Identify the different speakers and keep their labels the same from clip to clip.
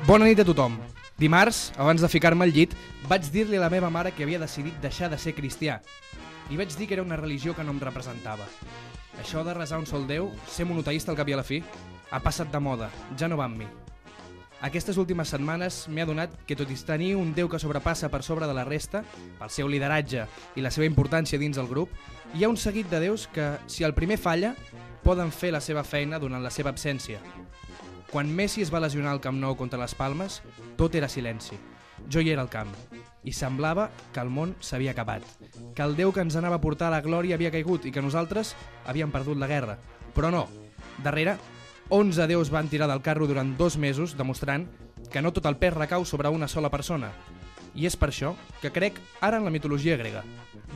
Speaker 1: Bona nit a tothom. Dimarts, abans de ficar-me al llit, vaig dir-li a la meva mare que havia decidit deixar de ser cristià. Li vaig dir que era una religió que no em representava. Això de resar un sol Déu, ser monoteista al cap i a la fi, ha passat de moda, ja no va amb mi. Aquestes últimes setmanes m'he adonat que tot i tenir un Déu que sobrepassa per sobre de la resta, pel seu lideratge i la seva importància dins el grup, hi ha un seguit de déus que, si el primer falla, poden fer la seva feina durant la seva absència. Quan Messi es va lesionar al Camp Nou contra les Palmes, tot era silenci. Jo hi era al camp, i semblava que el món s'havia acabat, que el Déu que ens anava a portar a la glòria havia caigut i que nosaltres havíem perdut la guerra. Però no, darrere, 11 déus van tirar del carro durant 2 mesos, demostrant que no tot el pes recau sobre una sola persona. I és per això que crec ara en la mitologia grega.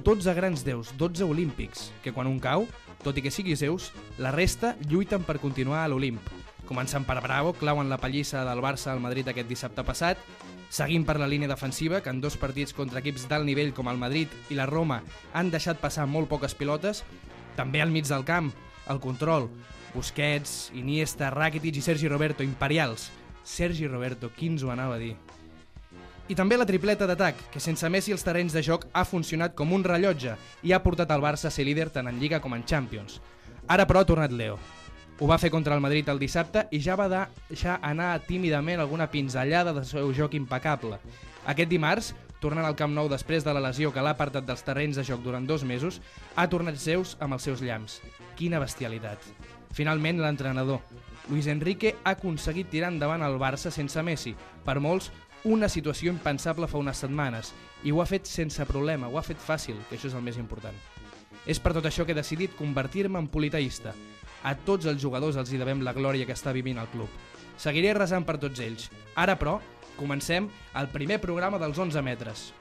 Speaker 1: 12 grans déus, 12 olímpics, que quan un cau, tot i que sigui Zeus, la resta lluiten per continuar a l'Olimp. Començant per Bravo, clauen la pallissa del Barça al Madrid aquest dissabte passat, seguint per la línia defensiva, que en 2 partits contra equips d'alt nivell com el Madrid i la Roma han deixat passar molt poques pilotes, també al mig del camp, el control, Busquets, Iniesta, Rakitic i Sergi Roberto, imperials. Sergi Roberto, qui ens ho anava a dir? I també la tripleta d'atac, que sense Messi els terrenys de joc ha funcionat com un rellotge i ha portat el Barça a ser líder tant en Lliga com en Champions. Ara però ha tornat Leo. Ho va fer contra el Madrid el dissabte i ja va deixar anar tímidament alguna pinzellada del seu joc impecable. Aquest dimarts, tornant al Camp Nou després de la lesió que l'ha apartat dels terrenys de joc durant 2 mesos, ha tornat Zeus amb els seus llamps. Quina bestialitat. Finalment, l'entrenador, Luis Enrique, ha aconseguit tirar endavant el Barça sense Messi. Per molts, una situació impensable fa unes setmanes. I ho ha fet sense problema, ho ha fet fàcil, que això és el més important. És per tot això que he decidit convertir-me en politeista. A tots els jugadors els hi devem la glòria que està vivint el club. Seguiré resant per tots ells. Ara, però, comencem el primer programa dels 11 metres.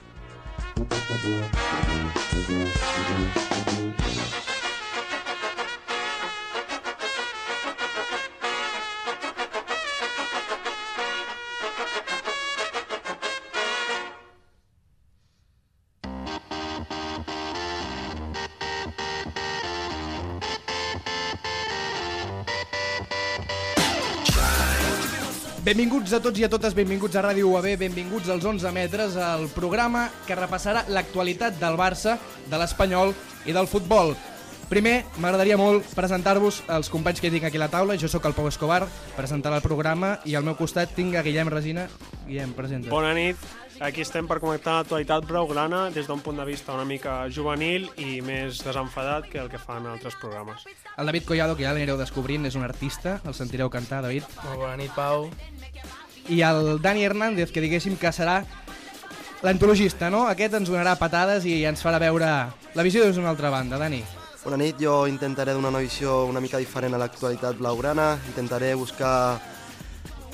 Speaker 1: Benvinguts a tots i a totes, benvinguts a Ràdio UAB, benvinguts als 11 metres, el programa que repassarà l'actualitat del Barça, de l'Espanyol i del futbol. Primer, m'agradaria molt presentar-vos els companys que tinc aquí a la taula. Jo sóc el Pau Escobar, presentarà el programa, i al meu costat tinc a Guillem Resina. Guillem, presenta.
Speaker 2: Bona nit. Aquí estem per connectar l'actualitat blaugrana des d'un punt de vista una mica juvenil i més desenfadat que el que fan altres programes.
Speaker 1: El David Collado, que ja l'anireu descobrint, és un artista, el sentireu cantar, David.
Speaker 3: Molt bona nit, Pau.
Speaker 1: I el Dani Hernández, que diguéssim que serà l'antologista, no? Aquest ens donarà patades i ens farà veure la visió des d'una altra banda. Dani.
Speaker 4: Bona nit, jo intentaré donar una visió una mica diferent a l'actualitat blaugrana, intentaré buscar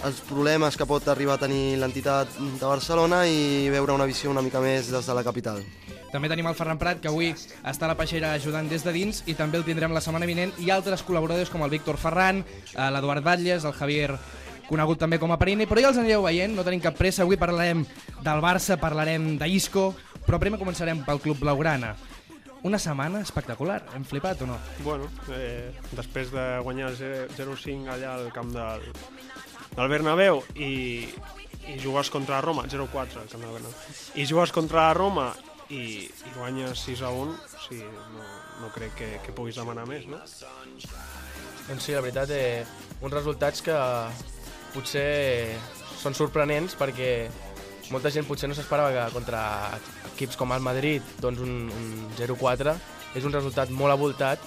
Speaker 4: els problemes que pot arribar a tenir l'entitat de Barcelona i veure una visió una mica més des de la capital.
Speaker 1: També tenim el Ferran Prat, que avui està a la peixera ajudant des de dins, i també el tindrem la setmana vinent, i altres col·laboradors com el Víctor Ferran, l'Eduard Batlles, el Javier, conegut també com a Perini, però ja els anireu veient, no tenim cap pressa. Avui parlarem del Barça, parlarem d'Isco, però primer començarem pel Club Blaugrana. Una setmana espectacular, hem flipat o no?
Speaker 2: Bueno, després de guanyar 0-5 allà al camp del Bernabéu i jugues contra Roma, 0-4 al camp del Bernabéu, i jugues contra Roma i guanyes 6-1, o sigui, no crec que puguis demanar més, no?
Speaker 3: Doncs sí, la veritat, uns resultats que potser són sorprenents perquè molta gent potser no s'esperava que contra equips com el Madrid doncs un 0-4 és un resultat molt avoltat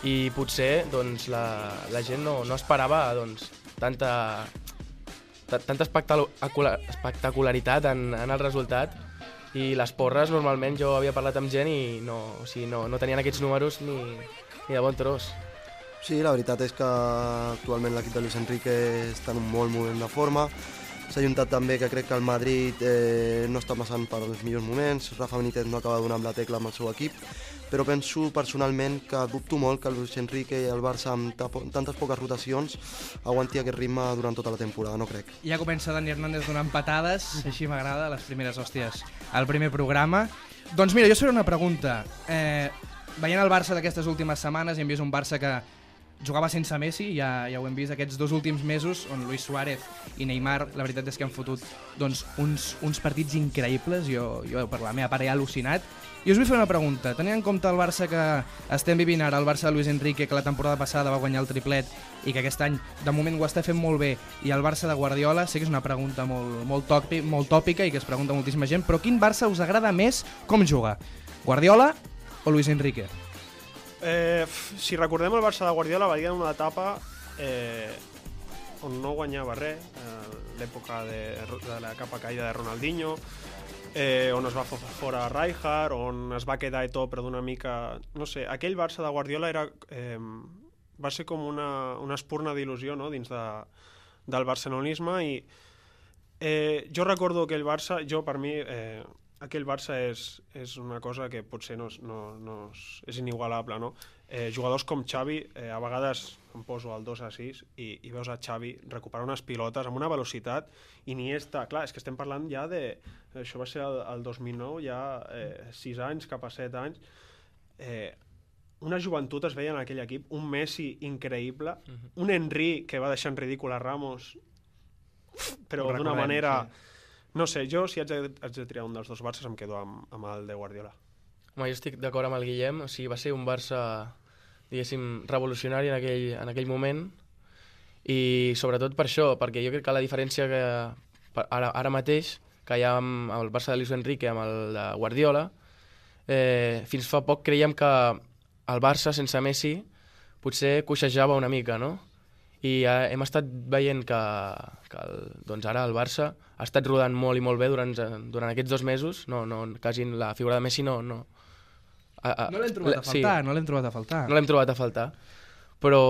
Speaker 3: i potser doncs, la gent no esperava doncs, tanta espectacularitat en el resultat, i les porres normalment jo havia parlat amb gent i no tenien aquests números ni de bon tros.
Speaker 4: Sí, la veritat és que actualment l'equip de Luis Enrique està en un molt moment de forma. S'ha ajuntat també que crec que el Madrid no està passant per els millors moments, Rafa Benítez no acaba donant la tecla amb el seu equip, però penso personalment que dubto molt que el Luis Enrique i el Barça amb tantes poques rotacions aguanti aquest ritme durant tota la temporada, no crec.
Speaker 1: Ja comença Dani Hernández donant patades, així m'agrada, les primeres hòsties al primer programa. Doncs mira, jo faré una pregunta. Veient el Barça d'aquestes últimes setmanes, hem vist un Barça que jugava sense Messi, ja ho hem vist aquests 2 últims mesos, on Luis Suárez i Neymar, la veritat és que han fotut doncs, uns partits increïbles, jo per la meva part he al·lucinat. I us vull fer una pregunta, tenint en compte el Barça que estem vivint ara, el Barça de Luis Enrique, que la temporada passada va guanyar el triplet i que aquest any de moment ho està fent molt bé, i el Barça de Guardiola, sé que és una pregunta molt tòpica i que es pregunta moltíssima gent, però quin Barça us agrada més com juga? Guardiola o Luis Enrique?
Speaker 2: Si recordem el Barça de Guardiola va dir en una etapa on no guanyava res, l'època de la capa caïda de Ronaldinho, on es va fora Rijkaard, on es va quedar Eto'o però d'una mica... No sé, aquell Barça de Guardiola va ser com una espurna d'il·lusió, no?, dins del barcelonisme, i jo recordo aquell Barça, per mi... aquell Barça és una cosa que potser és inigualable, no? Jugadors com Xavi, a vegades em poso al 2-6 i veus a Xavi recuperar unes pilotes amb una velocitat, Iniesta, clar, és que estem parlant ja de... Això va ser el 2009, ja 6 anys cap a 7 anys. Una joventut es veia en aquell equip, un Messi increïble, un Henry que va deixar en ridícul a Ramos, però d'una manera... Sí. No sé, jo si haig de triar un dels 2 Barças em quedo amb el de Guardiola.
Speaker 3: Home, jo estic d'acord amb el Guillem, o sigui, va ser un Barça, diguéssim, revolucionari en aquell moment, i sobretot per això, perquè jo crec que la diferència que ara mateix que hi ha amb el Barça de Luis Enrique amb el de Guardiola, fins fa poc creiem que el Barça sense Messi potser coixejava una mica, no? I hem estat veient que doncs ara el Barça ha estat rodant molt i molt bé durant aquests 2 mesos. Quasi la figura de Messi no
Speaker 1: l'hem trobat a faltar, sí. No l'hem
Speaker 3: trobat a faltar. Però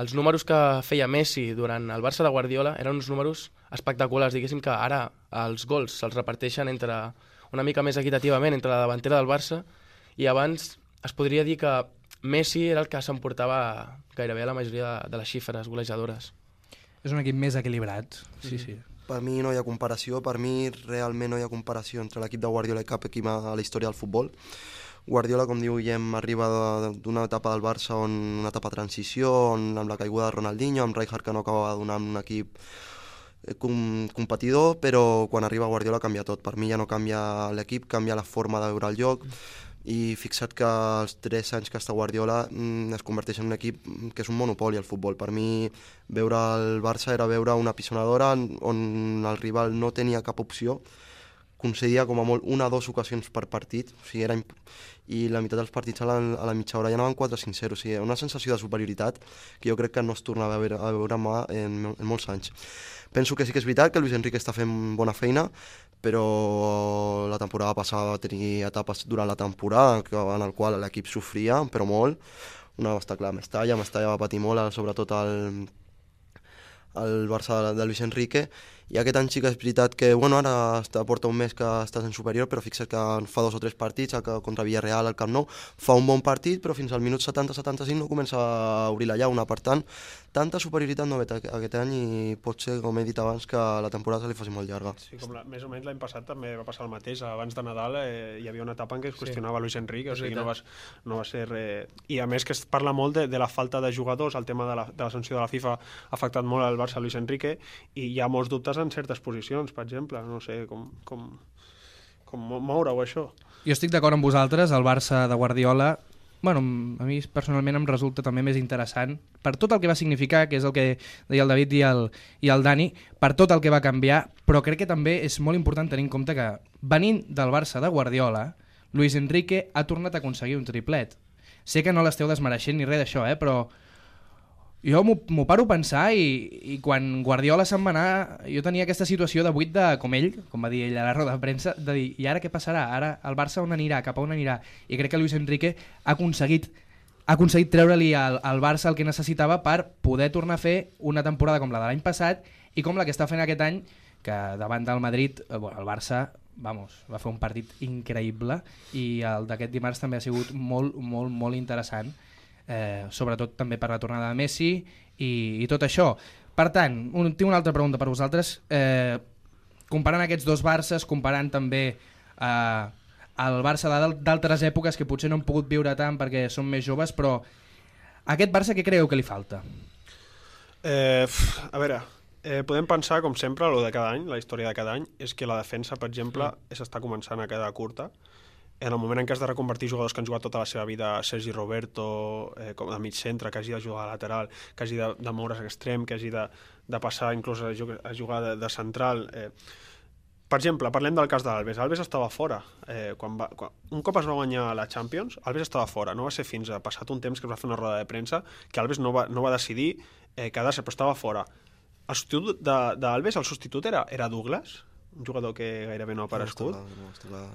Speaker 3: els números que feia Messi durant el Barça de Guardiola eren uns números espectaculars. Diguéssim que ara els gols se'ls reparteixen una mica més equitativament entre la davantera del Barça, i abans es podria dir que Messi era el que s'emportava gairebé la majoria de les xifres golejadores.
Speaker 1: És un equip més equilibrat, sí.
Speaker 4: Per mi no hi ha comparació, realment no hi ha comparació entre l'equip de Guardiola i cap equip a la història del futbol. Guardiola, com diu Guillem, arriba d'una etapa del Barça, una etapa de transició, amb la caiguda de Ronaldinho, amb Rijkaard que no acabava donant un equip competidor, però quan arriba Guardiola canvia tot. Per mi ja no canvia l'equip, canvia la forma de veure el joc, i fixa't que els 3 anys que està Guardiola es converteix en un equip que és un monopoli al futbol. Per mi veure el Barça era veure una pisonadora on el rival no tenia cap opció, concedia com a molt 1 o 2 ocasions per partit, o sigui, i la meitat dels partits a la mitja hora ja anaven 4-5-0, o sigui, una sensació de superioritat que jo crec que no es tornava a veure en molts anys. Penso que sí que és veritat que Luis Enrique està fent bona feina, però la temporada passada va tenir etapes durant la temporada en el qual l'equip sofria, però molt. Una va estar clar, Mestalla va patir molt, sobretot el Barça de Luis Enrique, i aquest any sí que és veritat que ara porta un mes que està en superior, però fixa't que fa 2 o 3 partits contra Villarreal al Camp Nou, fa un bon partit, però fins al minut 70-75 no comença a obrir la llauna. Per tant, tanta superioritat no ve aquest any, i pot ser, com he dit abans, que la temporada se li faci molt llarga.
Speaker 2: Sí, com més o menys l'any passat també va passar el mateix. Abans de Nadal hi havia una etapa en què es qüestionava Luis Enrique, o sigui, no va ser res... I a més que es parla molt de la falta de jugadors, el tema de la sanció de la FIFA ha afectat molt al Barça Luis Enrique, i hi ha molts dubtes en certes posicions, per exemple, no sé com moure-ho, això.
Speaker 1: Jo estic d'acord amb vosaltres, el Barça de Guardiola, a mi personalment em resulta també més interessant per tot el que va significar, que és el que deia el David i el Dani, per tot el que va canviar, però crec que també és molt important tenir en compte que venint del Barça de Guardiola, Luis Enrique ha tornat a aconseguir un triplet. Sé que no l'esteu desmereixent ni res d'això, però jo m'ho paro a pensar, i quan Guardiola se'n va anar, jo tenia aquesta situació de buit com va dir ell a la roda de premsa, de dir, i ara què passarà? Ara el Barça on anirà? Cap a on anirà? I crec que Luis Enrique ha aconseguit treure-li al Barça el que necessitava per poder tornar a fer una temporada com la de l'any passat i com la que està fent aquest any, que davant del Madrid el Barça va fer un partit increïble, i el d'aquest dimarts també ha sigut molt, molt, molt interessant. Sobretot també per la tornada de Messi i tot això. Per tant, tinc una altra pregunta per vosaltres. Comparant aquests 2 Barças, comparant també el Barça d'altres èpoques que potser no hem pogut viure tant perquè som més joves, però A aquest Barça què creieu que li falta?
Speaker 2: A veure, podem pensar, com sempre, lo de cada any, la història de cada any, és que la defensa, per exemple, s'està començant a quedar curta. En el moment en què has de reconvertir jugadors que han jugat tota la seva vida, Sergi Roberto, com de mig centre, que hagi de jugar a lateral, que hagi de moure's a extrem, que hagi de passar inclús a jugar de central... Per exemple, parlem del cas d'Alves. Alves estava fora. Un cop es va guanyar la Champions, Alves estava fora. No va ser fins a passat un temps que es va fer una roda de premsa que Alves no va decidir quedar-se, però estava fora. El substitut d'Alves, el substitut era Douglas, un jugador que gairebé no ha aparegut.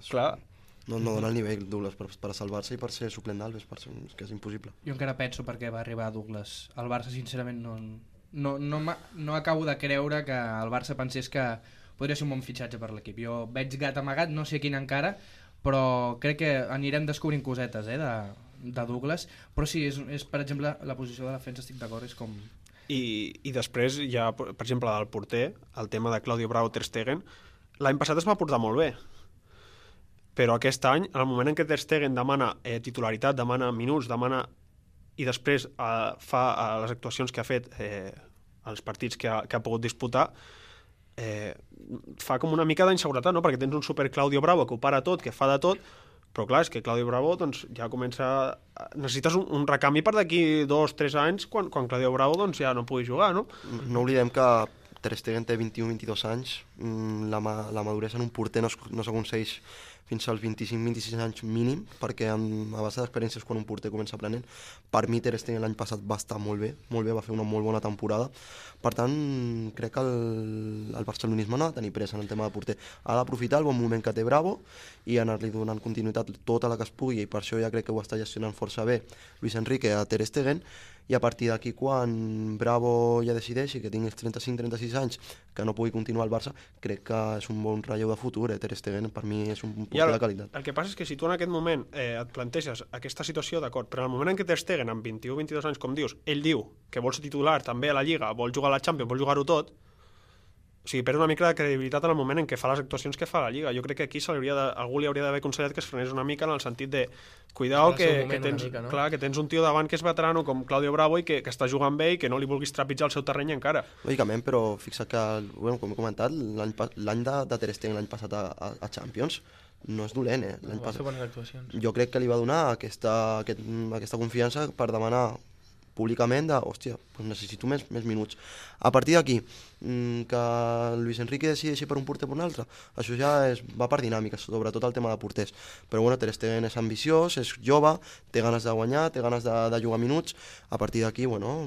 Speaker 2: Clar.
Speaker 4: No dona el nivell Douglas per salvar-se i per ser suplent d'Alves, és que és impossible.
Speaker 1: Jo encara penso per què va arribar Douglas. El Barça, sincerament, no acabo de creure que el Barça pensés que podria ser un bon fitxatge per l'equip. Jo veig gat amagat, no sé quin encara, però crec que anirem descobrint cosetes de Douglas. Però sí, és per exemple, la posició de defensa, estic d'acord, és com...
Speaker 2: I després hi ha, per exemple, del porter, el tema de Claudio Bravo Ter Stegen. L'any passat es va portar molt bé, però aquest any, en el moment en què Ter Stegen demana titularitat, demana minuts, i després fa les actuacions que ha fet als partits que ha pogut disputar, fa com una mica d'inseguretat, no? Perquè tens un super Claudio Bravo que ho para tot, que fa de tot, però clar, és que Claudio Bravo doncs, ja comença... Necessites un recanvi per d'aquí 2-3 anys quan Claudio Bravo doncs, ja no pugui jugar, no?
Speaker 4: No oblidem que Ter Stegen té 21-22 anys, la maduresa en un porter no s'aconsegueix fins als 25-26 anys mínim, perquè a base d'experiències quan un porter comença aprenent. Per mi Ter Stegen l'any passat va estar molt bé, va fer una molt bona temporada. Per tant, crec que el barcelonisme no ha de tenir pressa en el tema de porter. Ha d'aprofitar el bon moment que té Bravo i anar-li donant continuïtat tota la que es pugui, i per això ja crec que ho està gestionant força bé Luis Enrique a Ter Stegen, i a partir d'aquí, quan Bravo ja decideixi que tingui 35-36 anys, que no pugui continuar al Barça, crec que és un bon relleu de futur. Ter Stegen per mi és un porter de qualitat.
Speaker 2: El que passa és que si tu en aquest moment et planteges aquesta situació, d'acord, però en el moment en què Ter Stegen, amb 21-22 anys, com dius, ell diu que vol ser titular també a la Lliga, vol jugar a la Champions, vol jugar-ho tot, o sigui, perd una mica de credibilitat en el moment en què fa les actuacions que fa a la Lliga. Jo crec que aquí algú li hauria d'haver aconsellat que es frenés una mica en el sentit de cuidao que tens, mica, no? Clar, que tens un tio davant que és veterano com Claudio Bravo i que està jugant bé i que no li vulguis trepitjar el seu terreny encara.
Speaker 4: Lògicament, però fixa't que, bueno, com he comentat, l'any de Ter Stegen l'any passat a Champions no és dolent,
Speaker 3: L'any passat. Bones actuacions.
Speaker 4: Jo crec que li va donar aquesta confiança per demanar públicament hòstia, doncs necessito més minuts. A partir d'aquí, que Luis Enrique decideixi per un porter o per un altre, això ja va per dinàmiques, sobretot el tema de porters. Però bueno, Ter Stegen és ambiciós, és jove, té ganes de guanyar, té ganes de jugar minuts. A partir d'aquí, bueno,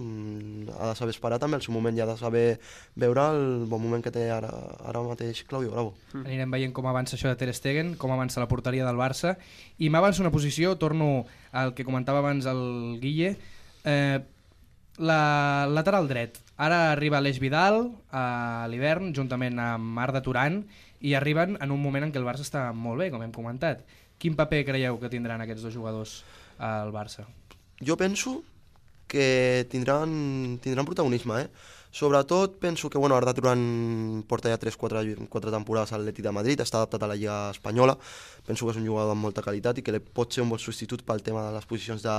Speaker 4: ha de saber esperar també el seu moment i ha de saber veure el bon moment que té ara mateix Claudio Bravo.
Speaker 1: Anirem veient com avança això de Ter Stegen, com avança la porteria del Barça, i m'avança una posició, torno al que comentava abans el Guille, la lateral dret. Ara arriba Aleix Vidal a l'hivern juntament amb Arda Turan i arriben en un moment en què el Barça està molt bé, com hem comentat. Quin paper creieu que tindran aquests dos jugadors al Barça?
Speaker 4: Jo penso que tindran protagonisme, Sobretot penso que Arda Turan porta ja 3-4 temporades a l'Atlètic de Madrid, està adaptat a la Lliga Espanyola, penso que és un jugador amb molta qualitat i que pot ser un bon substitut pel tema de les posicions de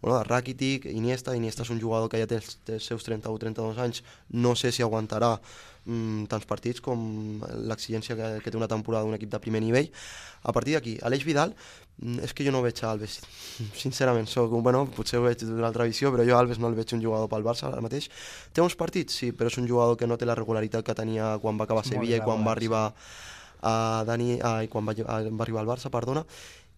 Speaker 4: Rakitic, Iniesta és un jugador que ja té els seus 31-32 anys, no sé si aguantarà tants partits com l'exigència que té una temporada d'un equip de primer nivell. A partir d'aquí, Aleix Vidal, és que jo no veig a Alves, sincerament, potser ho veig d'una altra visió, però jo a Alves no el veig un jugador pel Barça ara mateix. Té uns partits, sí, però és un jugador que no té la regularitat que tenia quan va acabar a Sevilla i quan va arribar al Barça,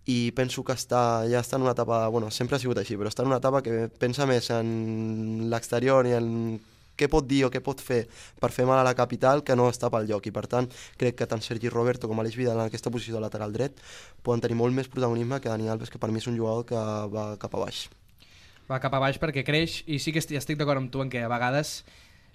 Speaker 4: i penso que ja està en una etapa, sempre ha sigut així, però està en una etapa que pensa més en l'exterior i en què pot dir o què pot fer per fer mal a la capital que no està pel lloc, i per tant crec que tant Sergi Roberto com Aleix Vidal en aquesta posició de lateral dret poden tenir molt més protagonisme que Dani Alves, que per mi és un jugador que va cap a baix.
Speaker 1: Va cap a baix perquè creix, i sí que estic d'acord amb tu en que a vegades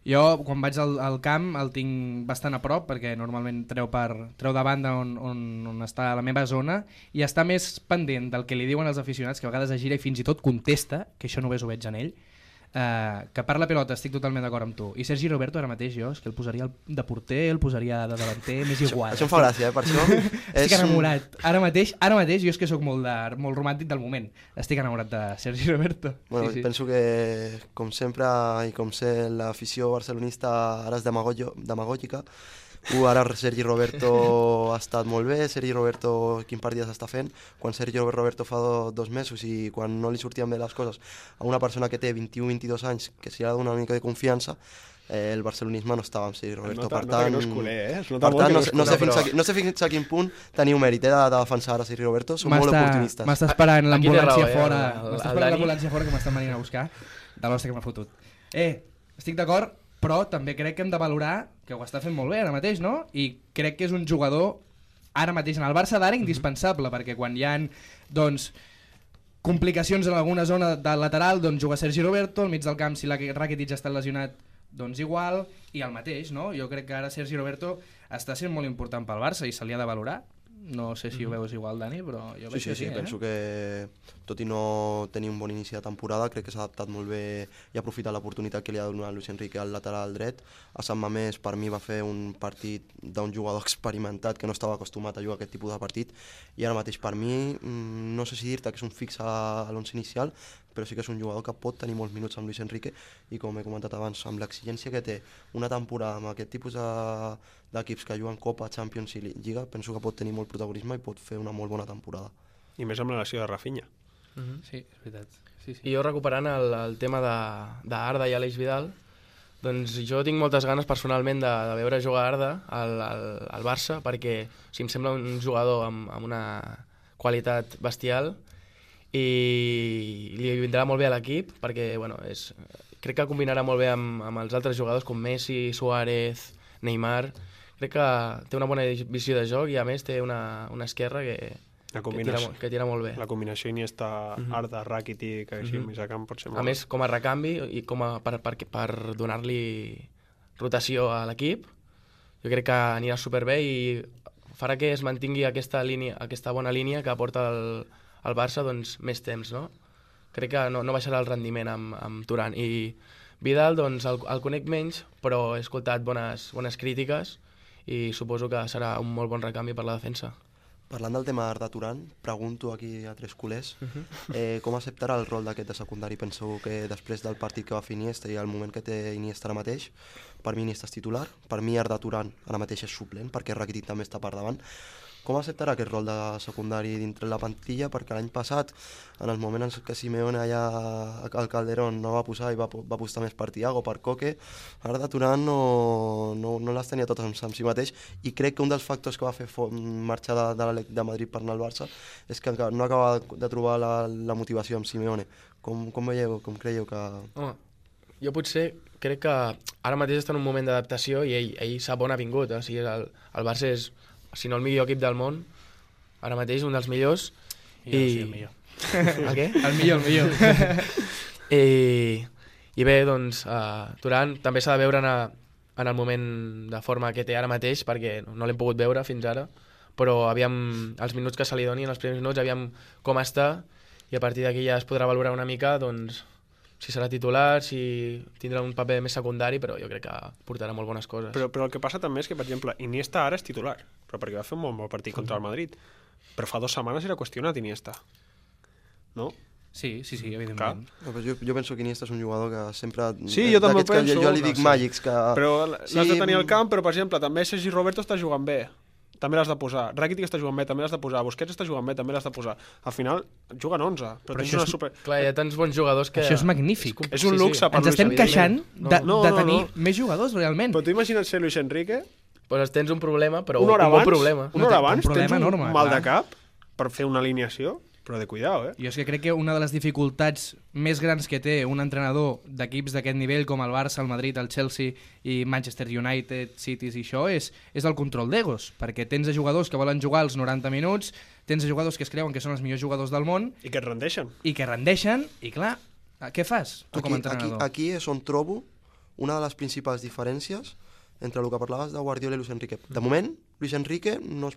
Speaker 1: jo quan vaig al camp el tinc bastant a prop perquè normalment treu de banda on està la meva zona i està més pendent del que li diuen els aficionats, que a vegades es gira i fins i tot contesta, que això només ho veig en ell. que per la pilota estic totalment d'acord amb tu. I Sergi Roberto ara mateix jo és que el posaria de porter, el posaria de davanter, m'és igual.
Speaker 4: Això em fa gràcia, per això.
Speaker 1: Estic enamorat. Ara mateix jo és que sóc molt romàntic del moment. Estic enamorat de Sergi Roberto.
Speaker 4: Bueno,
Speaker 1: sí.
Speaker 4: Penso que, com sempre, i com sé, l'afició barcelonista ara és demagògica. Ara Sergi Roberto ha estat molt bé, Sergi Roberto quin partit s'està fent, quan Sergi Roberto fa 2 mesos i quan no li sortien bé les coses a una persona que té 21-22 anys, que s'hi ha de donar una mica de confiança, el barcelonisme no estava amb Sergi Roberto. Per tant,
Speaker 2: no és culer,
Speaker 4: no sé fins a quin punt teniu mèrit de defensar a Sergi Roberto, són molt oportunistes.
Speaker 1: M'està esperant l'ambulància fora,
Speaker 3: que
Speaker 1: m'estan venint a buscar, de l'hòstia que m'ha fotut. Estic d'acord, però també crec que hem de valorar que ho està fent molt bé ara mateix, no? I crec que és un jugador ara mateix en el Barça d'ara indispensable, perquè quan hi ha doncs, complicacions en alguna zona del lateral, doncs juga Sergi Roberto, al mig del camp si la Rakitic està lesionat, doncs igual, i el mateix, no? Jo crec que ara Sergi Roberto està sent molt important pel Barça i se li ha de valorar. No sé si ho veus igual, Dani, però jo veig que sí.
Speaker 4: Penso que, tot i no tenir un bon inici de temporada, crec que s'ha adaptat molt bé i ha aprofitat l'oportunitat que li ha donat Luis Enrique al lateral dret. A Sant Mamés, per mi, va fer un partit d'un jugador experimentat que no estava acostumat a jugar aquest tipus de partit, i ara mateix, per mi, no sé si dir-te que és un fix a l'11 inicial, però sí que és un jugador que pot tenir molts minuts amb Luis Enrique i, com he comentat abans, amb l'exigència que té una temporada amb aquest tipus d'equips que juguen Copa, Champions i Lliga, penso que pot tenir molt protagonisme i pot fer una molt bona temporada.
Speaker 2: I més amb la lesió de Rafinha.
Speaker 1: Sí, és veritat. Sí.
Speaker 3: I jo recuperant el tema d'Arda i Aleix Vidal, doncs jo tinc moltes ganes personalment de veure jugar Arda al Barça, perquè em sembla un jugador amb una qualitat bestial i li vindrà molt bé a l'equip, perquè crec que combinarà molt bé amb els altres jugadors com Messi, Suárez, Neymar. Crec que té una bona visió de joc i a més té una esquerra que tira molt bé.
Speaker 2: La combinació Iniesta, Arda, Rakitic, així més a camp pot ser molt
Speaker 3: a més, com a recanvi i per donar-li rotació a l'equip, jo crec que anirà superbé i farà que es mantingui aquesta bona línia que porta el Barça doncs, més temps, no? Crec que no baixarà el rendiment amb Turan. I Vidal, doncs, el conec menys, però he escoltat bones crítiques i suposo que serà un molt bon recanvi per la defensa.
Speaker 4: Parlant del tema d'Arda Turan, pregunto aquí a 3 culers, com acceptarà el rol d'aquest de secundari? Penso que després del partit que va fer Iniesta i el moment que té Iniesta ara mateix, per mi Iniesta és titular, per mi Arda Turan ara mateix és suplent, perquè Rakitic també està per davant. Com acceptarà aquest rol de secundari dintre la plantilla? Perquè l'any passat, en els moments que Simeone allà al Calderón no va posar i va apostar més per Thiago, per Coque, Arda Turan no les tenia totes amb si mateix, i crec que un dels factors que va fer marxar de Madrid per anar al Barça és que no acaba de trobar la motivació amb Simeone. Com veieu, com creieu que...
Speaker 3: Home, jo potser crec que ara mateix està en un moment d'adaptació i ell sap on ha vingut. O sigui, el Barça és, si no el millor equip del món, ara mateix un dels millors.
Speaker 1: El millor.
Speaker 3: El què?
Speaker 1: El millor.
Speaker 3: I bé, doncs, Turan també s'ha de veure en el moment de forma que té ara mateix, perquè no l'hem pogut veure fins ara, però aviam els minuts que se li doni, en els primers minuts, aviam com està, i a partir d'aquí ja es podrà valorar una mica, doncs, si serà titular, si tindrà un paper més secundari, però jo crec que portarà molt bones coses.
Speaker 2: Però el que passa també és que, per exemple, Iniesta ara és titular, però perquè va fer un molt bon partit contra el Madrid. Però fa 2 setmanes era qüestionat Iniesta, no?
Speaker 1: Sí, evidentment.
Speaker 4: No, jo penso que Iniesta és un jugador que sempre...
Speaker 2: Sí, jo també ho penso.
Speaker 4: Jo li dic màgics que...
Speaker 2: Però l'has de tenir al camp, però, per exemple, també Sergi Roberto està jugant bé, també l'has de posar. Rakitic està jugant bé, també l'has de posar. Busquets està jugant bé, també l'has de posar. Al final, juguen 11. Però tens una super...
Speaker 3: Clar, hi ha tants bons jugadors que...
Speaker 1: Això és magnífic.
Speaker 2: És un luxe per
Speaker 1: Ens estem queixant de tenir més jugadors, realment.
Speaker 2: Però tu imagina't ser Luis Enrique...
Speaker 3: Pues tens un problema, però un
Speaker 2: bon
Speaker 3: problema.
Speaker 2: Una hora abans tens un
Speaker 1: enorme,
Speaker 2: mal de cap per fer una alineació, però de cuidao,
Speaker 1: Jo és que crec que una de les dificultats més grans que té un entrenador d'equips d'aquest nivell com el Barça, el Madrid, el Chelsea i Manchester United, Cities i això és el control d'egos, perquè tens jugadors que volen jugar els 90 minuts, tens jugadors que es creuen que són els millors jugadors del món
Speaker 2: i que et rendeixen.
Speaker 1: I clar, què fas tu com a entrenador?
Speaker 4: Aquí és on trobo una de les principals diferències entre el que parlaves de Guardiola i Luis Enrique. De moment, Luis Enrique no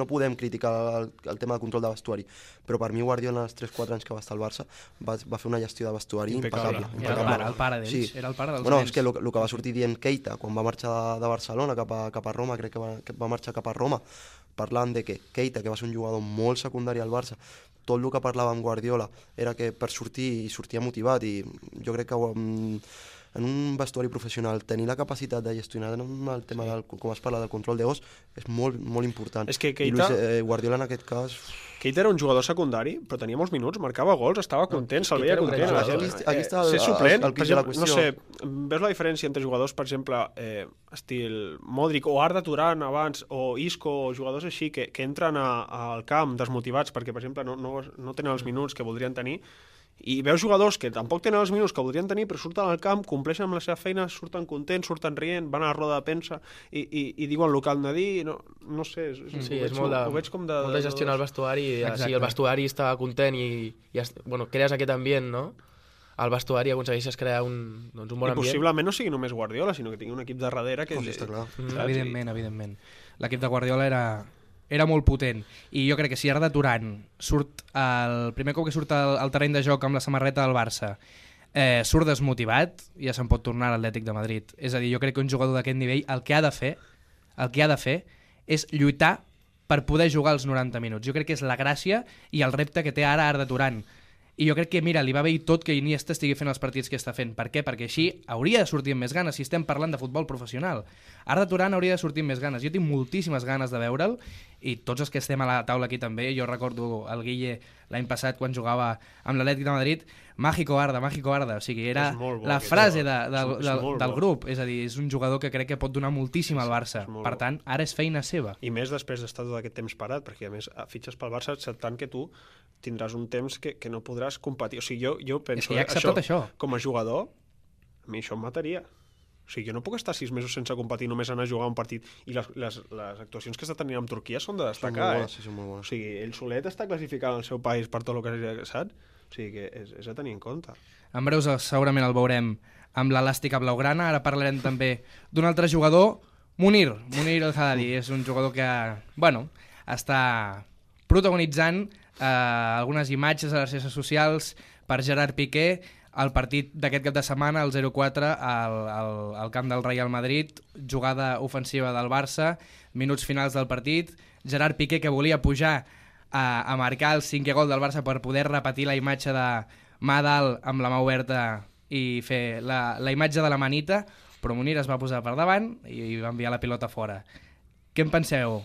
Speaker 4: podem criticar el tema de control de vestuari, però per mi Guardiola en els 3-4 anys que va estar al Barça va fer una gestió de vestuari impecable.
Speaker 1: Era el pare d'ells,
Speaker 4: sí.
Speaker 1: Era el pare dels
Speaker 4: bueno,
Speaker 1: nens.
Speaker 4: és que el que va sortir dient Keita quan va marxar de Barcelona cap a Roma, crec que va marxar cap a Roma, parlant de que Keita, que va ser un jugador molt secundari al Barça, tot el que parlava amb Guardiola era que per sortir sortia motivat, i jo crec que en un vestuari professional tenir la capacitat de gestionar el tema com es parla del control de gos és molt, molt important.
Speaker 2: És que
Speaker 4: Keita... I Guardiola en aquest cas...
Speaker 2: Keita era un jugador secundari, però tenia molts minuts, marcava gols, estava content, se'l veia content.
Speaker 4: Aquí està
Speaker 2: ser suplent,
Speaker 4: el pis de la qüestió.
Speaker 2: No sé, veus la diferència entre jugadors, per exemple, estil Modric o Arda Turan abans, o Isco, o jugadors així, que entren al camp desmotivats perquè, per exemple, no tenen els minuts que voldrien tenir, i veus jugadors que tampoc tenen els minuts que voldrien tenir, però surten al camp, compleixen amb la seva feina, surten contents, surten rient, van a la roda de premsa i diuen el que han de dir, no sé,
Speaker 3: és molt de gestionar el vestuari, si el vestuari està content i crees aquest ambient, no? Al vestuari aconsegueixes crear un bon ambient.
Speaker 2: I possiblement no sigui només Guardiola, sinó que tingui un equip de darrere que...
Speaker 4: Està clar.
Speaker 1: Evidentment. L'equip de Guardiola era molt potent, i jo crec que si Arda Turan surt el primer cop que surt al terreny de joc amb la samarreta del Barça, surt desmotivat, ja se'n pot tornar a l'Atlètic de Madrid. És a dir, jo crec que un jugador d'aquest nivell el que ha de fer és lluitar per poder jugar els 90 minuts. Jo crec que és la gràcia i el repte que té ara Arda Turan. I jo crec que, mira, li va bé i tot que Iniesta estigui fent els partits que està fent. Per què? Perquè així hauria de sortir amb més ganes, si estem parlant de futbol professional. Arda Turan hauria de sortir amb més ganes. Jo tinc moltíssimes ganes de veure'l, i tots els que estem a la taula aquí també. Jo recordo el Guille l'any passat quan jugava amb l'Atlètic de Madrid, Mágico Arda. O sigui, era la frase del grup. És a dir, és un jugador que crec que pot donar moltíssim al Barça. Per tant, ara és feina seva.
Speaker 2: I més després d'estar tot aquest temps parat, perquè a més fitxes pel Barça tant que tu tindràs un temps que no podràs competir. O sigui, jo penso...
Speaker 1: És que ja ha acceptat això.
Speaker 2: Com a jugador, a mi això em mataria. O sigui, jo no puc estar 6 mesos sense competir, només anar a jugar un partit. I les actuacions que està tenint amb Turquia són de destacar.
Speaker 4: Són molt bones.
Speaker 2: O sigui, ell solet està classificant el seu país per tot el que s'ha saps? O sigui, que és a tenir en compte.
Speaker 1: En breus segurament el veurem amb l'elàstica blaugrana. Ara parlarem també d'un altre jugador, Munir El Haddadi. És un jugador que, està protagonitzant algunes imatges a les xarxes socials per Gerard Piqué, el partit d'aquest cap de setmana, el 0-4 al camp del Real Madrid, jugada ofensiva del Barça, minuts finals del partit, Gerard Piqué que volia pujar a marcar el 5è gol del Barça per poder repetir la imatge de mà dalt amb la mà oberta i fer la imatge de la manita, però Munir es va posar per davant i va enviar la pilota fora. Què en penseu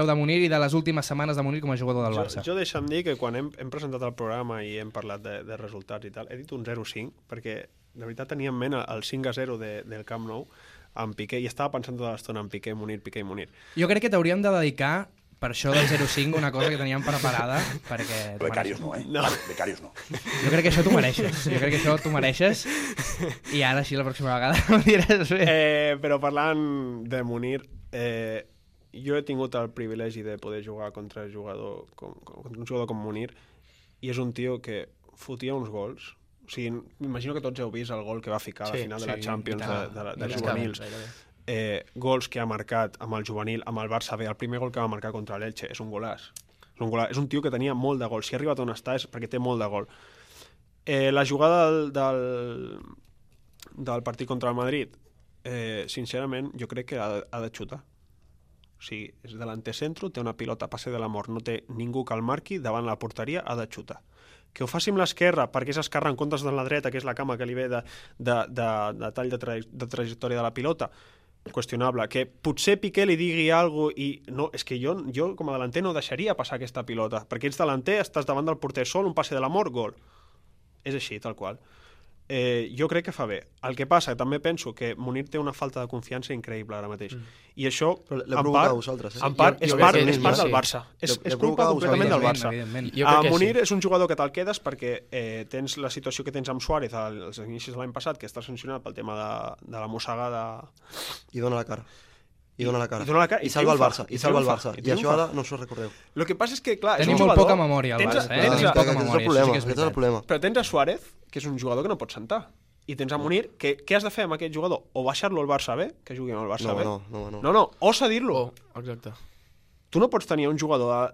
Speaker 1: de Munir i de les últimes setmanes de Munir com a jugador del Barça?
Speaker 2: Jo deixa'm dir que quan hem presentat el programa i hem parlat de resultats i tal, he dit un 0-5 perquè de veritat tenia en ment el 5-0 del Camp Nou amb Piqué i estava pensant tota l'estona en Piqué, Munir.
Speaker 1: Jo crec que t'hauríem de dedicar per això del 0-5 una cosa que teníem preparada perquè...
Speaker 5: Becarios no,
Speaker 2: No.
Speaker 5: Becarios no.
Speaker 1: Jo crec que això t'ho mereixes. I ara sí, la pròxima vegada ho diràs bé.
Speaker 2: Però parlant de Munir, jo he tingut el privilegi de poder jugar contra un jugador com Munir, i és un tio que fotia uns gols. O sigui, m'imagino que tots heu vist el gol que va ficar a la final de la Champions de juvenils. Gols que ha marcat amb el juvenil, amb el Barça B. El primer gol que va marcar contra l'Elche és un golàs. És un tio que tenia molt de gol. Si ha arribat on està és perquè té molt de gol. La jugada del partit contra el Madrid, sincerament, jo crec que ha de xutar. O sigui, és delanter centro, té una pilota a passe de la mort, no té ningú que el marqui, davant la porteria ha de xutar. Que ho faci amb l'esquerra, perquè és esquerra en comptes de la dreta, que és la cama que li ve de tall de trajectòria de la pilota, qüestionable. Que potser Piqué li digui alguna cosa i no, és que jo com a delanter no deixaria passar aquesta pilota, perquè ets delanter, estàs davant del porter sol, un passe de la mort, gol. És així, tal qual. Jo crec que fa bé. El que passa, també penso que Munir té una falta de confiança increïble ara mateix. I això, en part, és part del Barça. És culpa completament del Barça. Munir és un jugador que te'l quedes perquè tens la situació que tens amb Suárez als inicis de l'any passat, que està sancionat pel tema de la mossegada.
Speaker 4: I dona la cara. I salva el Barça. I això ara no us ho recordeu.
Speaker 2: El que passa és que, clar,
Speaker 1: tenim molt poca memòria al Barça.
Speaker 4: Aquest és el problema.
Speaker 2: Però tens a Suárez, que és un jugador que no pot sentar. i tens a Munir, què has de fer amb aquest jugador? O baixar-lo al Barça B, que jugui amb el Barça B? No, o cedir-lo.
Speaker 3: Exacte.
Speaker 2: Tu no pots tenir un jugador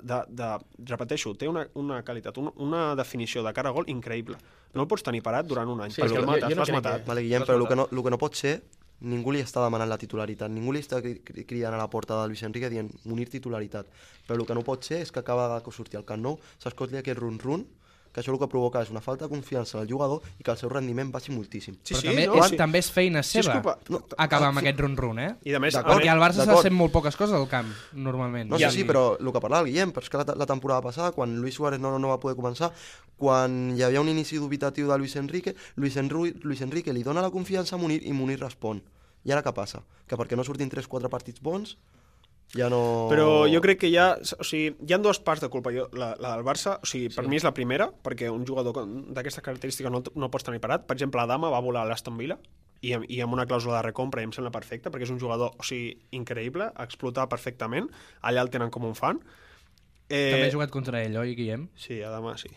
Speaker 2: repeteixo, té una qualitat, una definició de cara a gol increïble. No el pots tenir parat durant un any, perquè el mates, l'has matat.
Speaker 4: Vale, Guillem, però el que no pot ser, ningú li està demanant la titularitat, ningú li està cridant a la porta de Luis Enrique dient Munir titularitat, però el que no pot ser és que acaba de sortir al Camp Nou, s'escolti aquest run-run, que això el que provoca és una falta de confiança al jugador i que el seu rendiment baixi moltíssim.
Speaker 1: Però també és feina seva acabar amb aquest run-run,
Speaker 2: I a més,
Speaker 1: perquè el Barça s'ha de fer molt poques coses al camp, normalment.
Speaker 4: No, sí, però el que parlava el Guillem, però és que la temporada passada, quan Luis Suárez no va poder començar, quan hi havia un inici dubitatiu de Luis Enrique li dona la confiança a Munir i Munir respon. I ara què passa? Que perquè no surtin 3-4 partits bons, ja no...
Speaker 2: Però jo crec que hi ha dues parts de culpa. La del Barça, per mi és la primera, perquè un jugador d'aquesta característica no pots tenir parat. Per exemple, Adama va volar a l'Aston Villa i amb una clàusula de recompra i em sembla perfecte, perquè és un jugador increïble, a explotar perfectament. Allà el tenen com un fan.
Speaker 1: També he jugat contra ell, oi, Guillem?
Speaker 2: Sí, Adama, sí.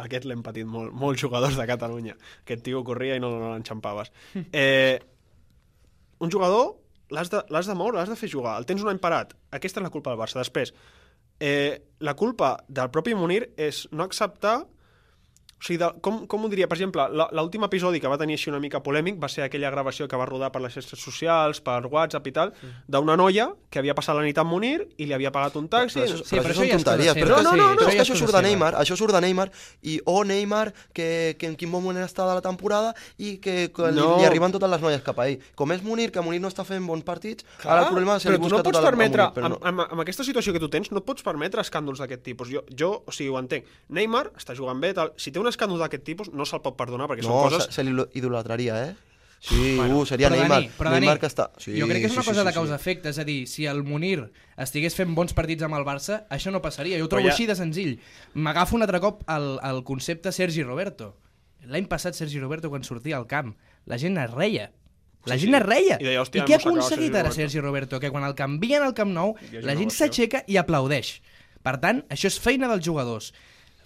Speaker 2: Aquest l'hem patit molts jugadors de Catalunya. Aquest tio corria i no l'enxampaves. Un jugador l'has de moure, l'has de fer jugar, el tens un any parat. Aquesta és la culpa del Barça. Després, la culpa del propi Munir és no acceptar... O sigui, com ho diria? Per exemple, l'últim episodi que va tenir així una mica polèmic va ser aquella gravació que va rodar per les xarxes socials, per WhatsApp i tal, d'una noia que havia passat la nit amb Munir i li havia pagat un taxi...
Speaker 4: Però això són tonteries. No, és que això surt de Neymar, i Neymar, que en quin bon moment està de la temporada i que li arriben totes les noies cap a ell. Com és Munir, que Munir no està fent bons partits, ara el problema és que li busca tota la Munir.
Speaker 2: Amb aquesta situació que tu tens, no et pots permetre escàndols d'aquest tipus. Jo, o sigui, ho entenc. Neymar està jugant bé, tal. Si té un escàndol d'aquest tipus, no se'l pot perdonar, perquè són coses...
Speaker 4: No, se l'idolatraria, Sí, seria Neymar que està...
Speaker 1: Jo crec que és una cosa de causa-efecte, és a dir, si el Munir estigués fent bons partits amb el Barça, això no passaria. Jo ho trobo així de senzill. M'agafo un altre cop al concepte Sergi Roberto. L'any passat Sergi Roberto, quan sortia al camp, la gent es reia. La gent es reia. I què ha aconseguit ara Sergi Roberto? Que quan el canvien al Camp Nou, la gent s'aixeca i aplaudeix. Per tant, això és feina dels jugadors.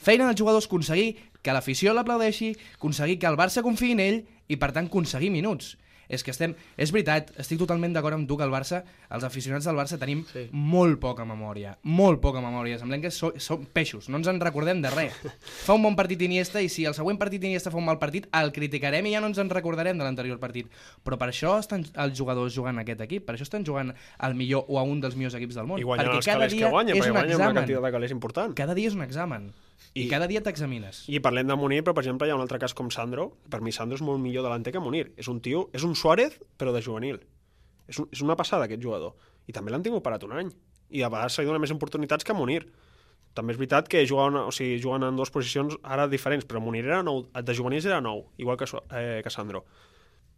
Speaker 1: Feina dels jugadors aconseguir que l'afició l'aplaudeixi, aconseguir que el Barça confiï en ell i, per tant, aconseguir minuts. És veritat, estic totalment d'acord amb tu que el Barça, els aficionats del Barça tenim molt poca memòria. Semblem que som peixos, no ens en recordem de res. Fa un bon partit Iniesta i si el següent partit Iniesta fa un mal partit, el criticarem i ja no ens en recordarem de l'anterior partit. Però per això estan els jugadors jugant a aquest equip, per això estan jugant al millor o a un dels millors equips del món.
Speaker 2: I guanyen els calés que guanyen, perquè guanyen una quantitat de calés important.
Speaker 1: Cada dia és un examen. I cada dia t'examines.
Speaker 2: I parlem de Munir, però per exemple hi ha un altre cas com Sandro. Per mi Sandro és molt millor delanter que Munir. És un Suárez, però de juvenil. És una passada aquest jugador. I també l'han tingut parat un any. I a vegades s'ha donat més oportunitats que Munir. També és veritat que juguen en dues posicions ara diferents, però Munir era nou, de juvenils era nou, igual que Sandro.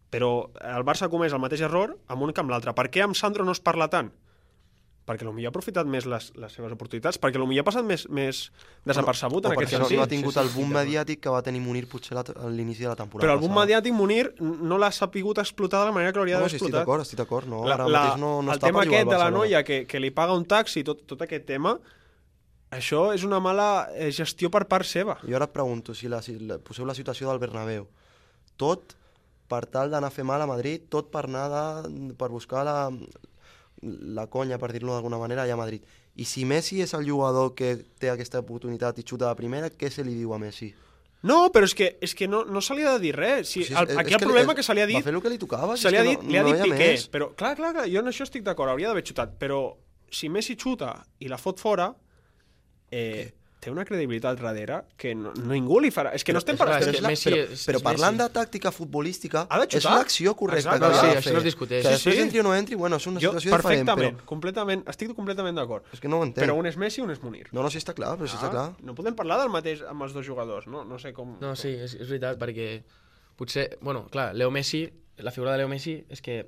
Speaker 2: Però el Barça comès el mateix error amb un que amb l'altre. Per què amb Sandro no es parla tant? Perquè potser ha aprofitat més les seves oportunitats, perquè potser ha passat més desapercebut en aquest sentit.
Speaker 4: No ha tingut el boom mediàtic que va tenir Munir potser a l'inici de la temporada.
Speaker 2: Però el boom mediàtic Munir no l'ha sapigut explotar de la manera que l'hauria d'haver explotat.
Speaker 4: Estic d'acord. No, ara mateix no
Speaker 2: el
Speaker 4: està
Speaker 2: tema aquest de la noia que li paga un taxi, tot aquest tema, això és una mala gestió per part seva.
Speaker 4: Jo ara et pregunto, si poseu la situació del Bernabéu, tot per tal d'anar a fer mal a Madrid, tot per buscar la conya, per dir-lo d'alguna manera, allà a Madrid. I si Messi és el jugador que té aquesta oportunitat i xuta de primera, què se li diu a Messi?
Speaker 2: No, però és que no se li ha de dir res. Aquí el problema que se li ha dit...
Speaker 4: Va fer el que li tocava.
Speaker 2: Se li ha dit Piqué. Però, clar, jo en això estic d'acord, hauria d'haver xutat. Però si Messi xuta i la fot fora, té una credibilitat darrere que ningú li farà. És que no estem parlant...
Speaker 4: Però parlant de tàctica futbolística, és l'acció correcta
Speaker 3: que ha de fer. Això no es discuteix.
Speaker 4: Que després entri o no entri, bueno, és una situació diferent.
Speaker 2: Perfectament, estic completament d'acord.
Speaker 4: És que no ho entenc.
Speaker 2: Però un és Messi i un és Munir.
Speaker 4: No, sí està clar, però sí està clar.
Speaker 2: No podem parlar del mateix amb els dos jugadors, no sé com...
Speaker 3: No, sí, és veritat, perquè potser... Bueno, clar, Leo Messi, la figura de Leo Messi és que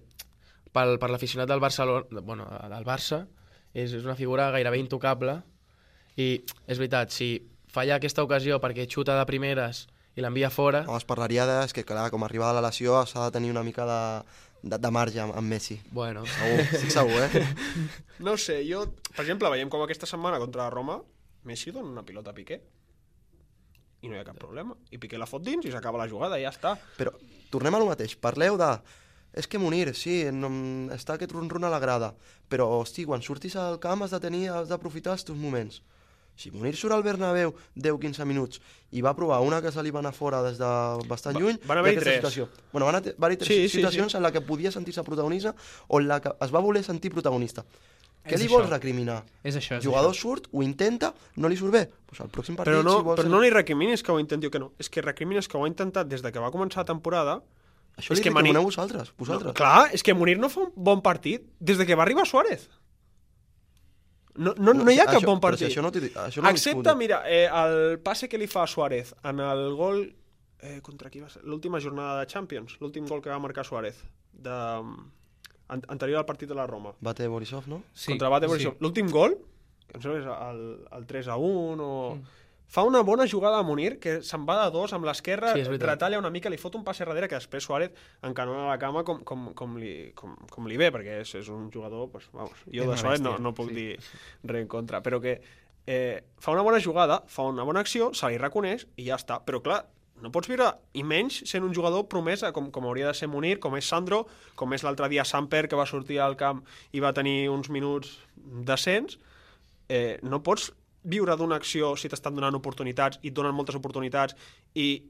Speaker 3: per l'aficionat del Barça és una figura gairebé intocable. I és veritat, si falla aquesta ocasió perquè xuta de primeres i l'envia fora...
Speaker 4: No, es parlaria que, clar, com arriba de la lesió s'ha de tenir una mica de marge amb Messi.
Speaker 3: Bueno.
Speaker 4: Segur,
Speaker 2: No sé, per exemple, veiem com aquesta setmana contra la Roma, Messi dona una pilota a Piqué. i no hi ha cap problema. I Piqué la fot dins i s'acaba la jugada, i ja està.
Speaker 4: Però tornem a lo mateix, parleu de... És que Munir, sí, està aquest run-run a la grada, però, hosti, quan surtis al camp has d'aprofitar els teus moments. Si Munir surt al Bernabéu 10-15 minuts i va provar una que se li va anar fora des de bastant lluny,
Speaker 2: van haver-hi tres.
Speaker 4: Situació. Bueno, van haver-hi tres situacions en la que podia sentir-se protagonista o en la que es va voler sentir protagonista. Què li vols recriminar?
Speaker 1: És això.
Speaker 4: Jugador surt, ho intenta, no li surt bé. Pues al pròxim partit,
Speaker 2: però no li recrimines que ho intenti o que no. És que recrimines que ho ha intentat des de que va començar la temporada.
Speaker 4: Això li recrimineu vosaltres.
Speaker 2: No, clar, és que Munir no fa un bon partit des de que va arribar Suárez. No hi ha cap bon partit. Excepte, mira, el passe que li fa a Suárez en el gol... contra qui va ser? L'última jornada de Champions, l'últim gol que va marcar Suárez, anterior al partit de la Roma.
Speaker 4: Bate Borisov, no?
Speaker 2: Sí, contra Bate Borisov. Sí. L'últim gol, que em sembla que és el 3-1 o... Fa una bona jugada a Munir, que se'n va de dos amb l'esquerra, retalla una mica, li fot un passe darrere que després Suárez encanona la cama com li ve, perquè és un jugador... Pues, vamos, jo de Suárez no puc dir res en contra, però que fa una bona jugada, fa una bona acció, se li reconeix i ja està. Però clar, no pots viure, i menys sent un jugador promesa com hauria de ser Munir, com és Sandro, com és l'altre dia Samper, que va sortir al camp i va tenir uns minuts decents. No pots viure d'una acció si t'estan donant oportunitats i et donen moltes oportunitats i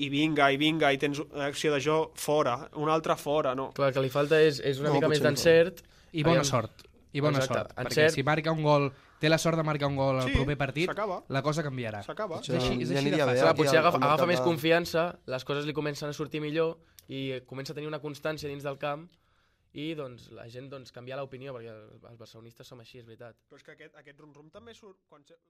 Speaker 2: vinga, i tens acció de joc fora, una altra fora, no.
Speaker 3: Clar, el que li falta és una mica més d'encert.
Speaker 1: I bona sort. Perquè si marca un gol, té la sort de marcar un gol al proper partit, la cosa canviarà.
Speaker 2: S'acaba.
Speaker 1: És així de fàcil.
Speaker 3: Potser agafa més confiança, les coses li comencen a sortir millor i comença a tenir una constància dins del camp i doncs, la gent canvia l'opinió, perquè els barcelonistes som així, és veritat.
Speaker 2: Però és que aquest rum-rum també surt quan surt